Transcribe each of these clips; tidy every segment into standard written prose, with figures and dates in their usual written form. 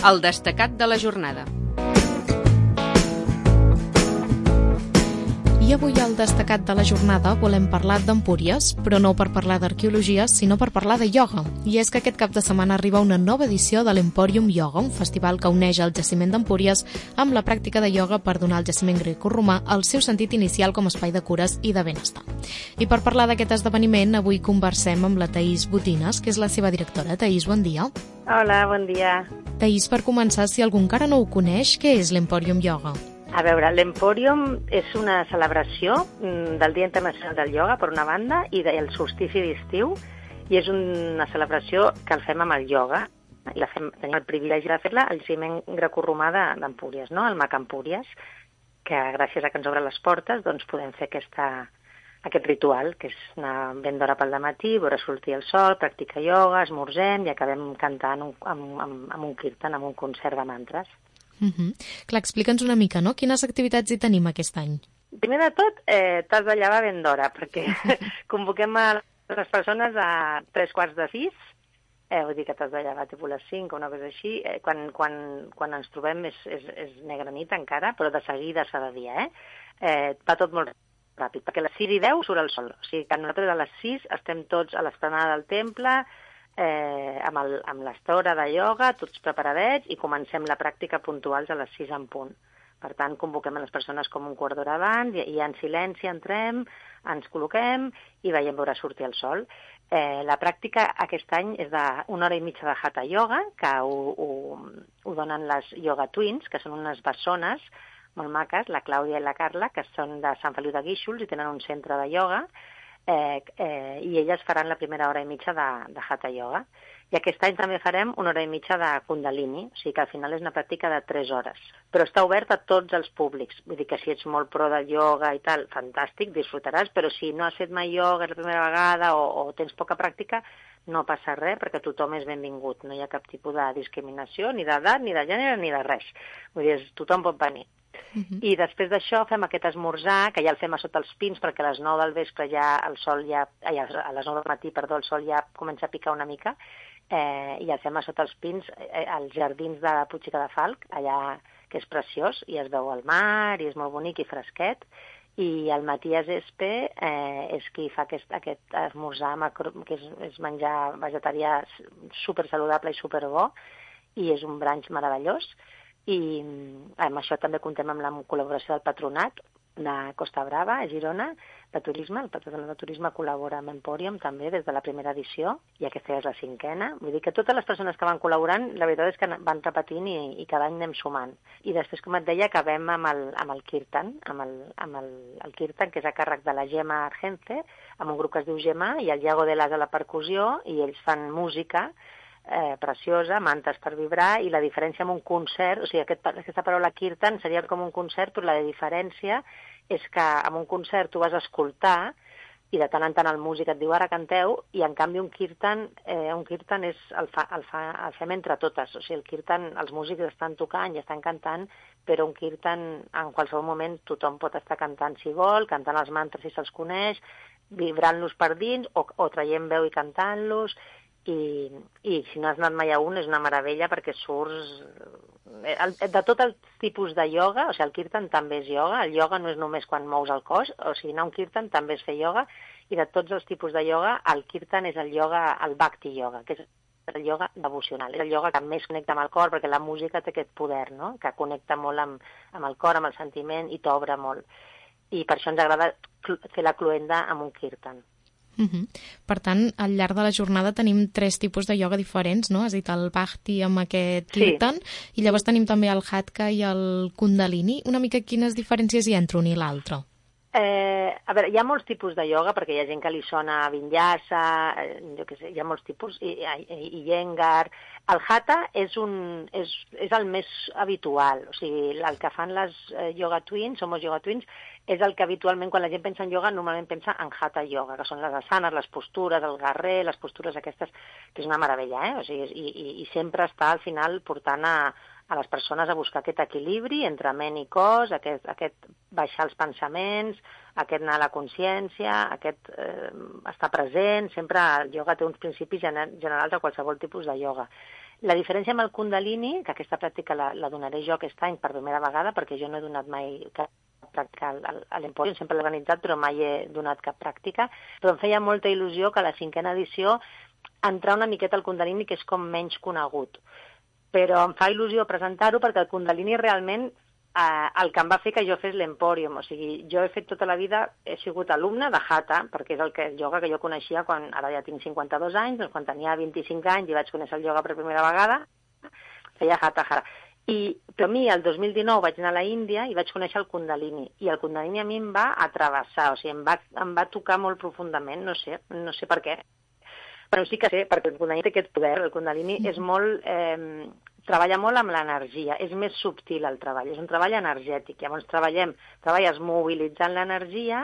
El destacat de la jornada. I avui al destacat de la jornada volem parlar d'Empúries, però no per parlar d'arqueologia, sinó per parlar de ioga. I és que aquest cap de setmana arriba una nova edició de l'Emporium Ioga, un festival que uneix el jaciment d'Empúries amb la pràctica de ioga per donar al jaciment grecorromà el seu sentit inicial com a espai de cures i de benestar. I per parlar d'aquest esdeveniment, avui conversem amb la Thaís Botines, que és la seva directora. Thaís, bon dia. Hola, bon dia. Thaís, per començar, si algú encara no ho coneix, què és l'Emporium Ioga? A veure, l'Emporium és una celebració del Dia Internacional del Ioga, per una banda, i del solstici d'estiu, i és una celebració que el fem amb el ioga, i tenim el privilegi de fer-la al jaciment grecorromà d'Empúries, no? El MAC Empúries, que gràcies a que ens obren les portes doncs podem fer aquest ritual, que és anar ben d'hora pel dematí, veure sortir el sol, practicar ioga, esmorzem i acabem cantant amb un kirtan, amb un concert de mantres. Clar, explica'ns una mica, no? Quines activitats hi tenim aquest any? Primer de tot, t'has de llevar ben d'hora, perquè convoquem a les persones a 5:45, vull dir que t'has de llevar tipus les 5 o una cosa així. Quan ens trobem és negra nit encara, però de seguida s'ha de dir, va tot molt ràpid, perquè a les 6:10 surt el sol. O sigui que nosaltres a les 6 estem tots a l'esplanada del temple, amb l'estora de ioga, tots preparadets, i comencem la pràctica puntuals a les 6 en punt. Per tant, convoquem a les persones com un quart d'hora abans, i en silenci entrem, ens col·loquem i veiem veure sortir el sol. La pràctica aquest any és d'una hora i mitja de Hatha Yoga, que ho donen les Yoga Twins, que són unes bessones molt maques, la Clàudia i la Carla, que són de Sant Feliu de Guíxols i tenen un centre de ioga, i elles faran la primera hora i mitja de Hatha Yoga. I aquest any també farem una hora i mitja de Kundalini, o sigui que al final és una pràctica de 3 hores. Però està obert a tots els públics, vull dir que si ets molt pro del ioga i tal, fantàstic, disfrutaràs, però si no has fet mai ioga la primera vegada o tens poca pràctica, no passa res, perquè tothom és benvingut, no hi ha cap tipus de discriminació, ni d'edat, ni de gènere, ni de res. Vull dir, tothom pot venir. I després d'això fem aquest esmorzar, que ja el fem a sota els pins, perquè a les 9 del vespre a les 9 del matí, el sol ja comença a picar una mica, i el fem a sota els pins als jardins de Puig i Cadafalch, allà que és preciós, i es veu el mar, i és molt bonic i fresquet, i el Matías Espe és qui fa aquest esmorzar, que és menjar vegetarià supersaludable i superbo, i és un brunch meravellós. I amb això també contem amb la col·laboració del Patronat de Costa Brava, a Girona, de turisme. El Patronat de Turisme col·labora amb Emporium també des de la primera edició, i aquesta és la 5a. Vull dir que totes les persones que van col·laborant, la veritat és que van repetint i cada any anem sumant. I després, com et deia, acabem amb el Kirtan, amb el Kirtan, que és a càrrec de la Gemma Argence, amb un grup que es diu Gemma, i el Iago de l'As a la percussió, i ells fan música preciosa, mantes per vibrar, i la diferència amb un concert, o sigui, aquesta paraula kirtan seria com un concert, però la diferència és que amb un concert tu vas a escoltar i de tant en tant el músic et diu ara canteu, i en canvi un kirtan és el fem entre totes, o sigui, el kirtan els músics estan tocant i estan cantant, però un kirtan en qualsevol moment tothom pot estar cantant si vol, cantant els mantres si se'ls coneix, vibrant-los per dins o traient veu i cantant-los. I si no has anat mai a un és una meravella, perquè surts de tot el tipus de ioga, o sigui, el kirtan també és ioga, el ioga no és només quan mous el cos, o sigui, anar a un kirtan també és fer ioga, i de tots els tipus de ioga, el kirtan és el bhakti ioga, que és el ioga devocional, és el ioga que més connecta amb el cor, perquè la música té aquest poder, no?, que connecta molt amb el cor, amb el sentiment, i t'obre molt. I per això ens agrada fer la cloenda amb un kirtan. Per tant, al llarg de la jornada tenim 3 tipus de ioga diferents, no? Has dit el Bhakti amb aquest Kirtan, i llavors tenim també el Hatha i el Kundalini. Una mica quines diferències hi ha entre un i l'altre? A veure, hi ha molts tipus de ioga, perquè hi ha gent que li sona Vinyasa, jo què sé, hi ha molts tipus, i Iyengar. El Hatha és el més habitual, o sigui, el que fan les Yoga Twins, Somos Yoga Twins, és el que habitualment, quan la gent pensa en ioga, normalment pensa en Hatha Yoga, que són les asanes, les postures, el garrer, les postures aquestes, que és una meravella, O sigui, i sempre està al final portant a les persones a buscar aquest equilibri entre ment i cos, aquest baixar els pensaments, aquest anar a la consciència, aquest estar present. Sempre el ioga té uns principis generals a qualsevol tipus de ioga. La diferència amb el Kundalini, que aquesta pràctica la donaré jo aquest any per primera vegada, perquè jo no he donat mai cap pràctica a l'Emporium, sempre l'he organitzat, però mai he donat cap pràctica, però em feia molta il·lusió que a la 5ª edició entrar una miqueta al Kundalini, que és com menys conegut. Però em fa il·lusió presentar-ho perquè el Kundalini realment el que em va fer que jo fes l'Emporium. O sigui, jo he fet tota la vida, he sigut alumne de Hatha, perquè és el ioga que jo coneixia quan ara ja tinc 52 anys, doncs quan tenia 25 anys i vaig conèixer el ioga per primera vegada, feia Hatha Hara. Però a mi, el 2019, vaig anar a la Índia i vaig conèixer el Kundalini. I el Kundalini a mi em va atrevessar, o sigui, em va tocar molt profundament, no sé per què. Però sí que sé, perquè el Kundalini té aquest poder, el Kundalini és molt... treballa molt amb l'energia, és més subtil el treball, és un treball energètic. Llavors treballes mobilitzant l'energia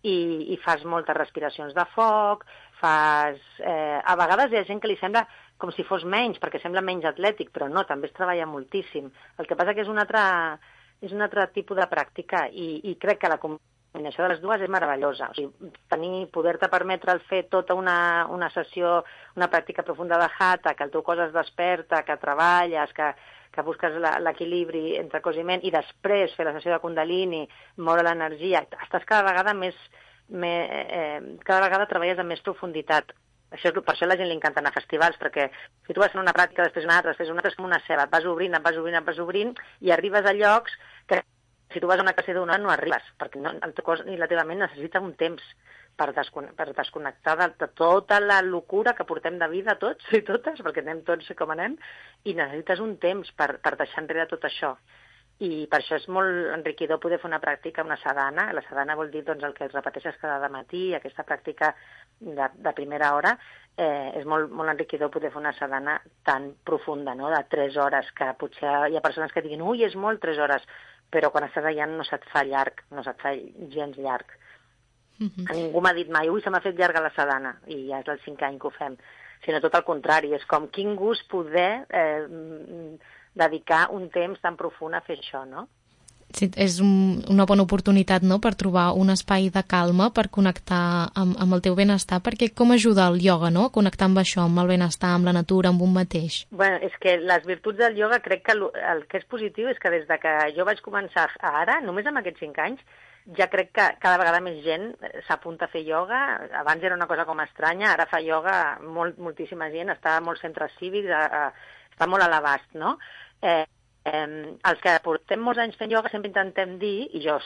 i fas moltes respiracions de foc, a vegades hi ha gent que li sembla com si fos menys, perquè sembla menys atlètic, però no, també es treballa moltíssim. El que passa que és un altre tipus de pràctica i crec que la combinació de les dues és meravellosa. O sigui, poder-te permetre fer tota una sessió, una pràctica profunda de Hatha, que el teu cos es desperta, que treballes, que busques l'equilibri entre cos i ment, i després fer la sessió de Kundalini, moure l'energia, estàs cada vegada cada vegada treballes amb més profunditat. Per això a la gent li encanta anar a festivals, perquè si tu vas fent una pràctica, després una altra, és com una ceba, et vas obrint, i arribes a llocs que si tu vas a una classe d'una hora no arribes, perquè el teu cos i la teva ment necessita un temps per desconnectar de tota la locura que portem de vida tots i totes, perquè anem tots com anem, i necessites un temps per deixar enrere tot això. I per això és molt enriquidor poder fer una pràctica, una sadhana. La sadhana vol dir el que repeteixes cada matí, aquesta pràctica de primera hora. És molt, molt enriquidor poder fer una sadhana tan profunda, no? De 3 hores, que potser hi ha persones que diguin ui, és molt 3 hores, però quan estàs allà no se't fa llarg, no se't fa gens llarg. A ningú m'ha dit mai, ui, se m'ha fet llarga la sadhana, i ja és el 5è any que ho fem, sinó tot el contrari, és com quin gust poder dedicar un temps tan profund a fer això, no? Sí, és una bona oportunitat, no?, per trobar un espai de calma, per connectar amb el teu benestar, perquè com ajuda el ioga, no?, connectar amb això, amb el benestar, amb la natura, amb un mateix. Bueno, és que les virtuts del ioga, crec que el que és positiu és que des de que jo vaig començar a ara, només amb aquests 5 anys, ja crec que cada vegada més gent s'apunta a fer ioga. Abans era una cosa com estranya, ara fa ioga moltíssima gent, està a molts centres cívics, està molt a l'abast, no? Els que portem molts anys fent ioga sempre intentem dir, i jo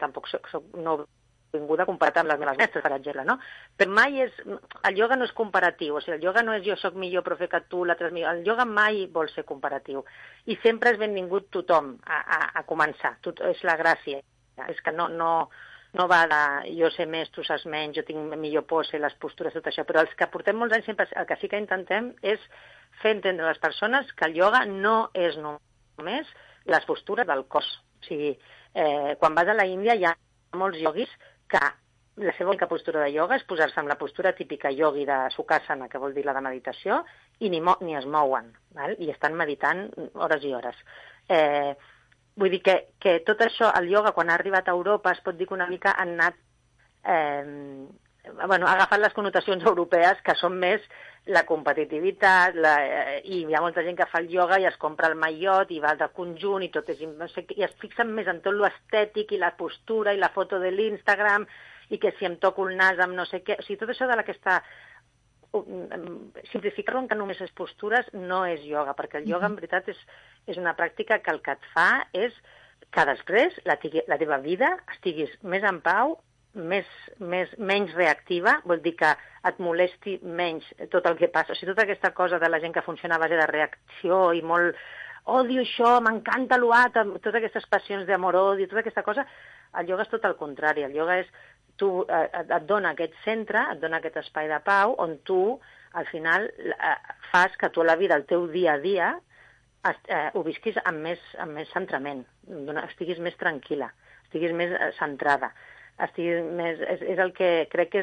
tampoc soc no vinguda comparat amb les meves mestres, per exemple, no? Però mai el ioga no és comparatiu, o sigui, el ioga no és jo soc millor però fer que tu, l'altre és millor. El ioga mai vol ser comparatiu. I sempre és benvingut tothom a començar, és la gràcia. És que no va de jo sé més, tu saps menys, jo tinc millor pose, les postures, tot això, però els que portem molts anys sempre el que sí que intentem és fer entendre a les persones que el ioga no és només les postures del cos. O sigui, quan vas a la Índia hi ha molts ioguis que la seva única postura de ioga és posar-se en la postura típica iogui de Sukhasana, que vol dir la de meditació, i ni es mouen, val? I estan meditant hores i hores. Vull dir que tot això, el ioga, quan ha arribat a Europa, es pot dir que una mica han anat ha agafat les connotacions europees, que són més la competitivitat, i hi ha molta gent que fa el ioga i es compra el maillot i va de conjunt i tot i es fixen més en tot l'estètic i la postura i la foto de l'Instagram i que si em toco el nas amb no sé què, o sigui, tot això de aquesta simplificar-ho en que només és postures no és ioga, perquè el ioga en veritat és una pràctica que el que et fa és que després la teva vida estiguis més en pau, menys reactiva, vol dir que et molesti menys tot el que passa. O sigui, tota aquesta cosa de la gent que funciona a base de reacció i molt odio això, m'encanta l'altre, totes aquestes passions d'amor-odi, tota aquesta cosa, el ioga és tot el contrari. El ioga és et dona aquest centre, et dona aquest espai de pau on tu, al final, fas que tu a la vida, el teu dia a dia, ho visquis amb més centrament, estiguis més tranquil·la, estiguis més centrada, és el que crec que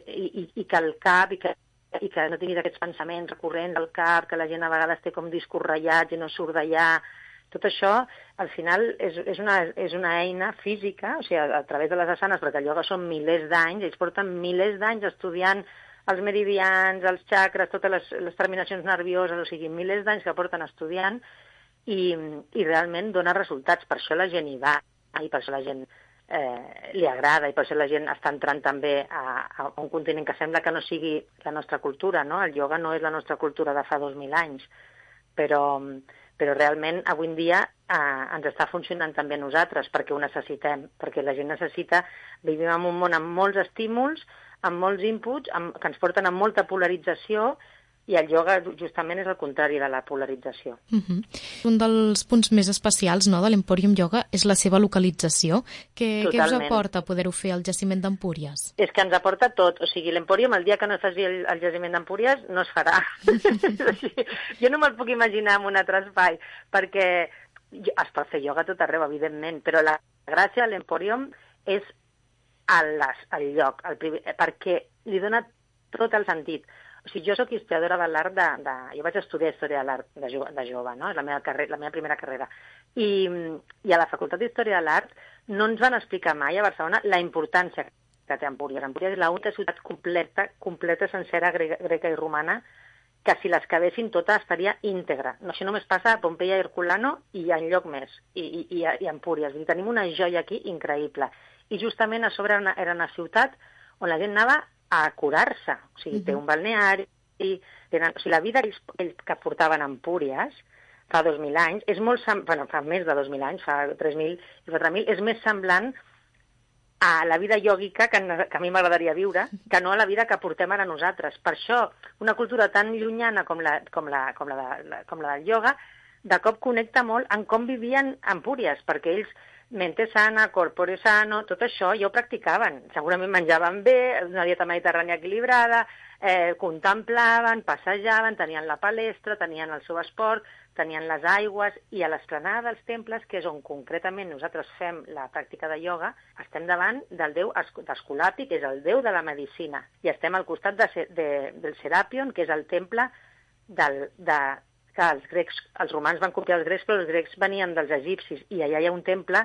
i que el cap, i que no tinguis aquests pensaments recurrents al cap, que la gent a vegades té com discos ratllats i no surt d'allà. Tot això, al final, és una eina física, o sigui, a través de les asanes, perquè el ioga són milers d'anys, ells porten milers d'anys estudiant els meridians, els xacres, totes les terminacions nervioses, o sigui, milers d'anys que porten estudiant i realment dona resultats. Per això la gent hi va i per això la gent li agrada i per això la gent està entrant també a un continent que sembla que no sigui la nostra cultura, no? El ioga no és la nostra cultura de fa 2.000 anys, però realment avui en dia ens està funcionant també a nosaltres perquè ho necessitem, perquè la gent necessita, vivim en un món amb molts estímuls, amb molts inputs, que ens porten a molta polarització, i el ioga justament és el contrari de la polarització. Un dels punts més especials, no, de l'Emporium Yoga és la seva localització. Què us aporta poder-ho fer al jaciment d'Empúries? És que ens aporta tot. O sigui, l'Emporium, el dia que no es faci el jaciment d'Empúries, no es farà. Jo no me'l puc imaginar en un altre espai, perquè es pot fer ioga tot arreu, evidentment, però la gràcia de l'Emporium és el lloc, perquè li dona tot el sentit. O sigui, jo soc historiadora de l'art jo vaig estudiar història de l'art de jove, no? És la meva primera carrera. I a la Facultat d'Història de l'Art no ens van explicar mai a Barcelona la importància que té Empúries. Empúries és l'única ciutat completa sencera greca i romana, que si les quedessin totes estaria íntegra. No, això només passa a Pompeia i Herculano i enlloc més, i a Empúries. I tenim una joia aquí increïble. I justament a sobre era una ciutat on la gent anava a curar-se. O sigui, té un balneari, o sigui, la vida que portaven a Empúries fa 2.000 anys, és molt fa més de 2.000 anys, fa 3.000 i 4.000, és més semblant a la vida iògica que a mi m'agradaria viure, que no a la vida que portem ara nosaltres. Per això, una cultura tan llunyana com la del ioga, de cop connecta molt en com vivien Empúries, perquè ells mente sana, corpore sano, tot això ja ho practicaven. Segurament menjaven bé, una dieta mediterrània equilibrada, contemplaven, passejaven, tenien la palestra, tenien el seu esport, tenien les aigües, i a l'esplanada dels temples, que és on concretament nosaltres fem la pràctica de ioga, estem davant del déu d'Esculapi, que és el déu de la medicina, i estem al costat del Serapion, que és el temple que els romans van copiar els grecs, però els grecs venien dels egipcis, i allà hi ha un temple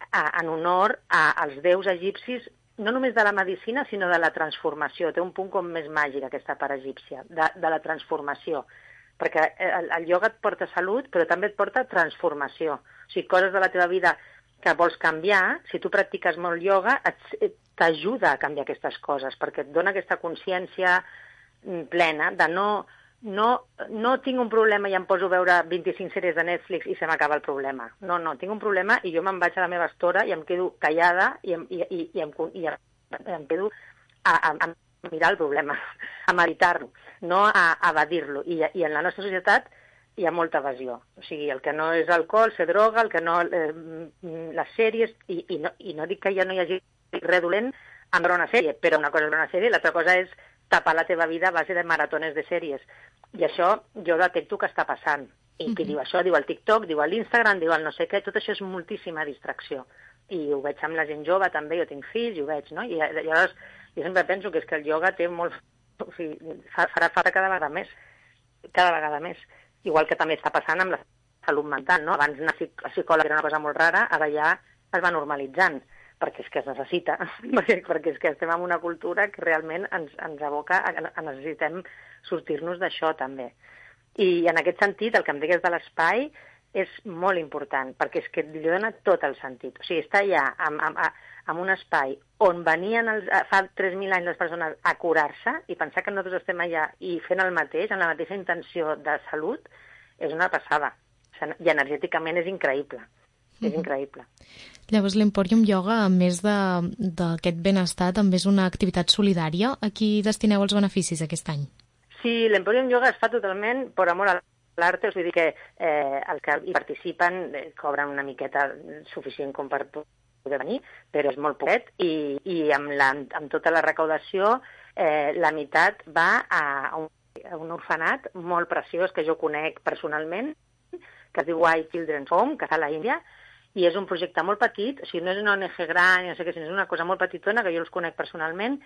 en honor als déus egipcis, no només de la medicina, sinó de la transformació. Té un punt com més màgic, aquesta part egípcia, de la transformació. Perquè el ioga et porta salut, però també et porta transformació. O sigui, coses de la teva vida que vols canviar, si tu practiques molt ioga, t'ajuda a canviar aquestes coses, perquè et dona aquesta consciència plena de no tinc un problema i em poso a veure 25 sèries de Netflix i se m'acaba el problema. No, tinc un problema i jo me'n vaig a la meva estora i em quedo callada i em quedo a mirar el problema, a meditar-lo, no a evadir-lo. I en la nostra societat hi ha molta evasió. O sigui, el que no és alcohol, se droga, el que no... les sèries... I no dic que ja no hi hagi res dolent en veure una sèrie, però una cosa és veure una sèrie i l'altra cosa és tapar la teva vida a base de maratones de sèries. I això jo detecto que està passant. I qui diu això, diu el TikTok, diu l'Instagram, diu el no sé què, tot això és moltíssima distracció. I ho veig amb la gent jove també, jo tinc fills i ho veig, no? I llavors jo sempre penso que és que el ioga té molt... O sigui, farà falta cada vegada més. Igual que també està passant amb la salut mental, no? Abans anar a psicòleg era una cosa molt rara, ara ja es va normalitzant, perquè és que es necessita, perquè és que estem en una cultura que realment ens aboca a necessitem sortir-nos d'això també. I en aquest sentit, el que em digues de l'espai és molt important, perquè és que li dona tot el sentit. O sigui, està allà en un espai on venien fa 3.000 anys les persones a curar-se i pensar que nosaltres estem allà i fent el mateix, amb la mateixa intenció de salut, és una passada. I energèticament és increïble. És increïble. Llavors, l'Emporium Yoga, a més d'aquest benestar, també és una activitat solidària. A qui destineu els beneficis aquest any? Sí, l'Emporium Yoga es fa totalment per amor a l'art, vull dir que els que hi participen cobren una miqueta suficient com per poder venir, però és molt poquet, i amb tota la recaudació la meitat va a un orfenat molt preciós que jo conec personalment, que es diu White Children's Home, que està a l'Índia, i és un projecte molt petit, o sigui, no és una ONG gran, no sé què, sinó és una cosa molt petitona, que jo els conec personalment,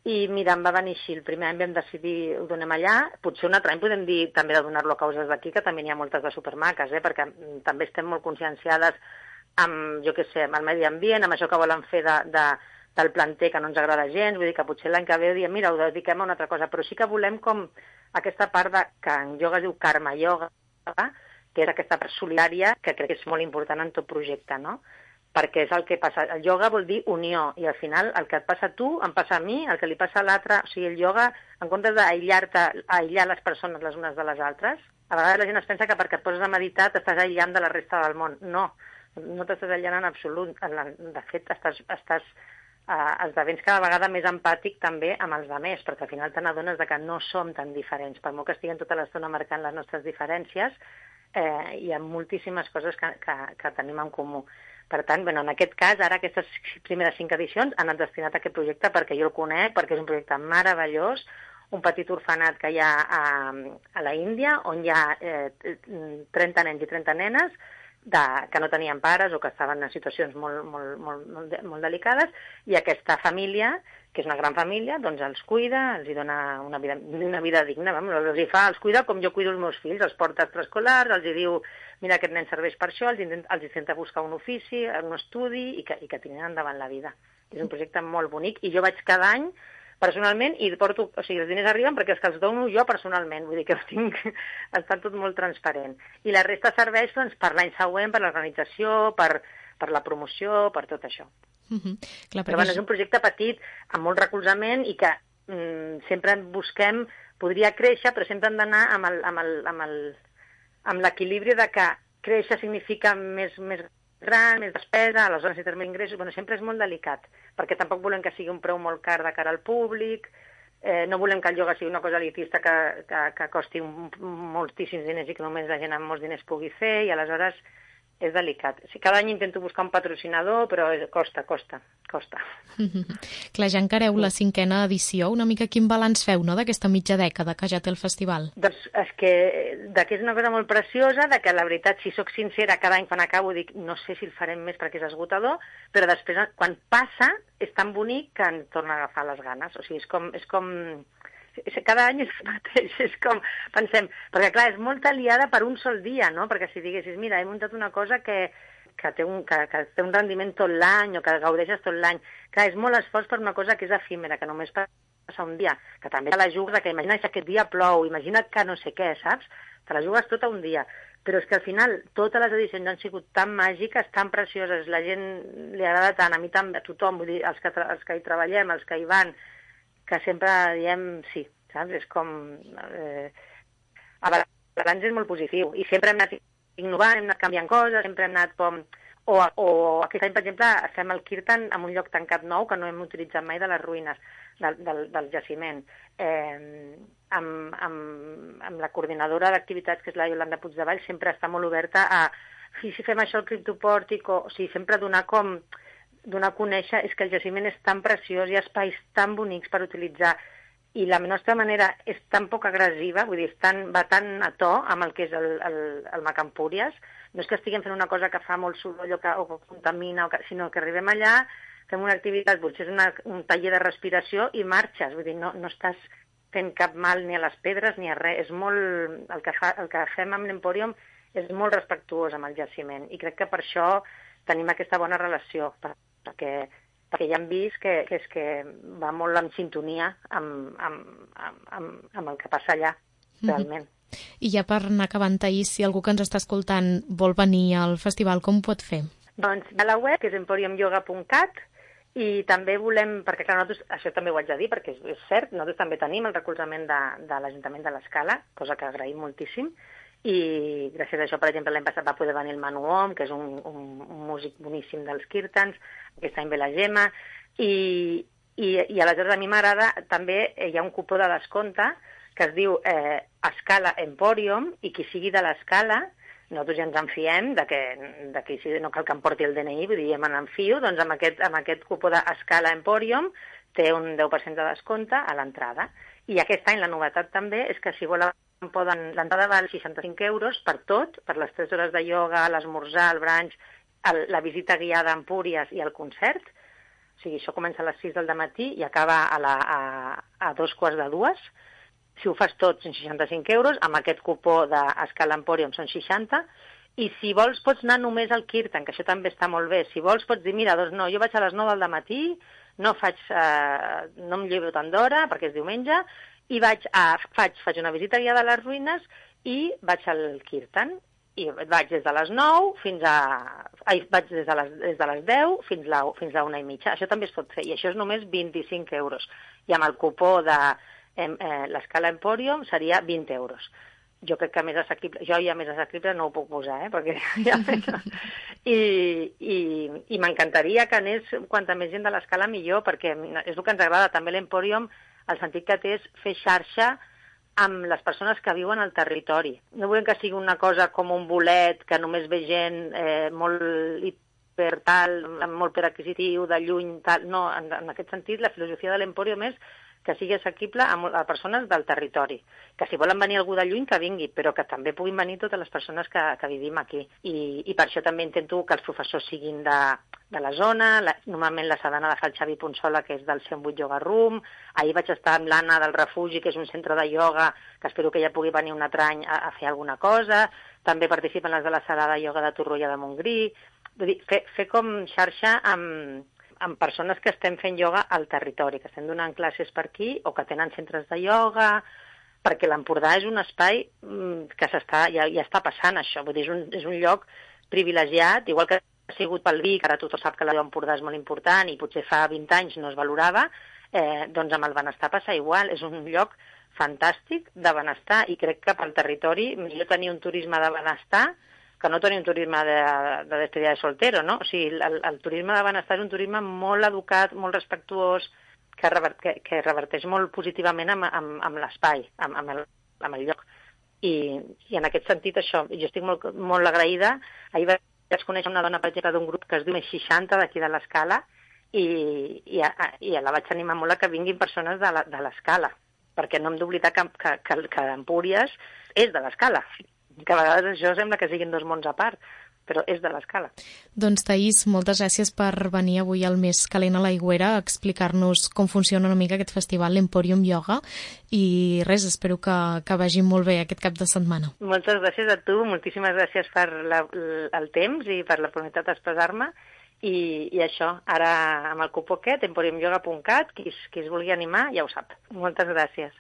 i mira, em va venir així, el primer any vam decidir ho donem allà, potser un altre any podem dir també de donar-lo a causes d'aquí, que també n'hi ha moltes de supermaques, perquè també estem molt conscienciades amb, jo què sé, amb el medi ambient, amb això que volen fer de del planter que no ens agrada gens, vull dir que potser l'any que ve diem, mira, ho dediquem a una altra cosa, però sí que volem com aquesta part que en ioga es diu karma ioga, que és aquesta part solidària que crec que és molt important en tot projecte, no? Perquè és el que passa. El ioga vol dir unió, i al final el que et passa a tu em passa a mi, el que li passa a l'altre. O sigui, el ioga, en comptes d'aïllar-te, aïllar les persones les unes de les altres, a vegades la gent es pensa que perquè et poses a meditar t'estàs aïllant de la resta del món. No, no t'estàs aïllant en absolut. De fet, esdevens cada vegada més empàtic també amb els altres, perquè al final te n'adones que no som tan diferents. Per molt que estiguem tota l'estona marcant les nostres diferències, hi ha moltíssimes coses que tenim en comú. Per tant, en aquest cas, ara aquestes primeres 5 edicions han anat destinat a aquest projecte perquè jo el conec, perquè és un projecte meravellós, un petit orfenat que hi ha a la Índia, on hi ha 30 nens i 30 nenes que no tenien pares o que estaven en situacions molt delicades, i aquesta família, que és una gran família, doncs els cuida, els dona una vida digna, els cuida com jo cuido els meus fills, els porta a extraescolars, els diu, mira, aquest nen serveix per això, els intenta buscar un ofici, un estudi, i que tirin endavant la vida. És un projecte molt bonic, i jo vaig cada any personalment, i porto, o sigui, els diners arriben perquè els que els dono jo personalment, vull dir que està tot molt transparent. I la resta serveix per l'any següent, per l'organització, per la promoció, per tot això. Clar, però és un projecte petit, amb molt recolzament, i que sempre busquem, podria créixer, però sempre hem d'anar amb l'equilibri de que créixer significa més gran, més despesa, aleshores necessitem més ingressos. Sempre és molt delicat, perquè tampoc volem que sigui un preu molt car de cara al públic, no volem que el ioga sigui una cosa elitista que costi moltíssims diners i que només la gent amb molts diners pugui fer, i aleshores és delicat. Cada any intento buscar un patrocinador, però costa. Clar, ja encareu la 5a edició. Una mica quin balanç feu, no?, d'aquesta mitja dècada que ja té el festival? Doncs és que és una cosa molt preciosa, que la veritat, si sóc sincera, cada any quan acabo dic, no sé si el farem més perquè és esgotador, però després, quan passa, és tan bonic que ens torna a agafar les ganes. O sigui, és com cada any és el mateix, és com, pensem, perquè clar, és molt aliada per un sol dia, no? Perquè si diguessis, mira, he muntat una cosa que té un rendiment tot l'any o que gaudeixes tot l'any. Clar, és molt esforç per una cosa que és efímera, que només passa un dia, que també te la jugues, que imagina que aquest dia plou, imagina't que no sé què, saps? Te la jugues tota un dia. Però és que al final totes les edicions han sigut tan màgiques, tan precioses, la gent li agrada tant, a mi també, a tothom, vull dir, els que hi treballem, els que hi van, que sempre diem sí, saps? És com... El balanç és molt positiu, i sempre hem anat innovant, hem anat canviant coses, sempre hem anat com... O aquest any, per exemple, fem el Kirtan en un lloc tancat nou que no hem utilitzat mai de les ruïnes del jaciment. Amb la coordinadora d'activitats, que és la Iolanda Puigdevall, sempre està molt oberta a... Si fem això al criptopòrtic, o sigui, sempre donar a conèixer, és que el jaciment és tan preciós, hi ha espais tan bonics per utilitzar, i la nostra manera és tan poc agressiva, vull dir, va tan a to amb el que és el Macampúries. No és que estiguem fent una cosa que fa molt soroll o que contamina, sinó que arribem allà, fem una activitat, potser és un taller de respiració i marxes, vull dir, no estàs fent cap mal ni a les pedres ni a res. És molt... El que fem amb l'Empòrium és molt respectuós amb el jaciment, i crec que per això tenim aquesta bona relació, perquè ja hem vist que va molt en sintonia amb el que passa allà, realment. I ja per anar acabant, Taís, si algú que ens està escoltant vol venir al festival, com ho pot fer? Doncs a la web, que és emporiumyoga.cat, i també volem, perquè clar, nosaltres, això també ho haig de dir, perquè és cert, nosaltres també tenim el recolzament de l'Ajuntament de l'Escala, cosa que agraïm moltíssim, i gràcies a això, per exemple, l'any passat va poder venir el Manu Om, que és un músic boníssim dels Kirtans, aquest any ve la Gemma, i aleshores a mi m'agrada, també hi ha un cupó de descompte que es diu Escala Emporium, i qui sigui de l'Escala, nosaltres ja ens en fiem que no cal que em porti el DNI, vull dir, ja me n'enfio, doncs amb aquest cupó d'Escala Emporium té un 10% de descompte a l'entrada. I aquest any la novetat també és que si volen l'entrada val 65 euros per tot, per les 3 hores de ioga, l'esmorzar, el brunch, la visita guiada a Empúries i el concert. O sigui, això comença a les 6 del matí i acaba a 2:45. Si ho fas tot, són 65 euros, amb aquest cupó d'Escala Emporium són 60, i si vols pots anar només al Kirtan, que això també està molt bé. Si vols pots dir, mira, doncs no, jo vaig a les 9 del matí, no em llevo tant d'hora, perquè és diumenge, i faig una visita guiada a les ruïnes i vaig al Kirtan. I vaig des de les 9 fins a... vaig des de les 10 fins a 1:30. Això també es pot fer, i això és només 25 euros. I amb el cupó de l'escala Emporium seria 20 euros. Jo crec que més assequible, jo ja més assequible no ho puc posar, perquè ja I m'encantaria que anés quanta més gent de l'escala millor, perquè és el que ens agrada també l'Emporium, el sentit que té és fer xarxa amb les persones que viuen al territori. No volem que sigui una cosa com un bolet, que només ve gent molt molt adquisitiu, de lluny, tal. No, en aquest sentit, la filosofia de l'Emporium és que sigui assequible a persones del territori. Que si volen venir algú de lluny, que vingui, però que també puguin venir totes les persones que vivim aquí. I per això també intento que els professors siguin de la zona. Normalment la Sadana la fa el Xavi Ponsola, que és del 108 Yoga Room. Ahir vaig estar amb l'Anna del Refugi, que és un centre de ioga, que espero que ella pugui venir un altre any a fer alguna cosa. També participen les de la sala de ioga de Torroella de Montgrí. Vull dir, fer com xarxa amb persones que estem fent ioga al territori, que estem donant classes per aquí o que tenen centres de ioga, perquè l'Empordà és un espai que ja està passant això. Vull dir, és un lloc privilegiat, igual que ha sigut pel vi, que ara tothom sap que l'Empordà és molt important i potser fa 20 anys no es valorava, doncs amb el benestar passa igual. És un lloc fantàstic de benestar i crec que pel territori millor tenir un turisme de benestar que no tenir un turisme de despedida de soltero, no? O sigui, el turisme de benestar és un turisme molt educat, molt respectuós, que reverteix molt positivament amb l'espai, amb el lloc. I en aquest sentit, això, jo estic molt agraïda. Ahir vaig conèixer una dona, per exemple, d'un grup que es diu Més 60, d'aquí de l'Escala, i la vaig animar molt a que vinguin persones de l'Escala, perquè no hem d'oblidar que Empúries és de l'Escala, que a vegades això sembla que siguin dos mons a part, però és de l'Escala. Doncs, Taís, moltes gràcies per venir avui al Més Calent a l'Aigüera a explicar-nos com funciona una mica aquest festival, l'Emporium Yoga, i res, espero que vagi molt bé aquest cap de setmana. Moltes gràcies a tu, moltíssimes gràcies per el temps i per la oportunitat d'expressar-me, i això, ara amb el cupó aquest, emporiumyoga.cat, qui es vulgui animar ja ho sap. Moltes gràcies.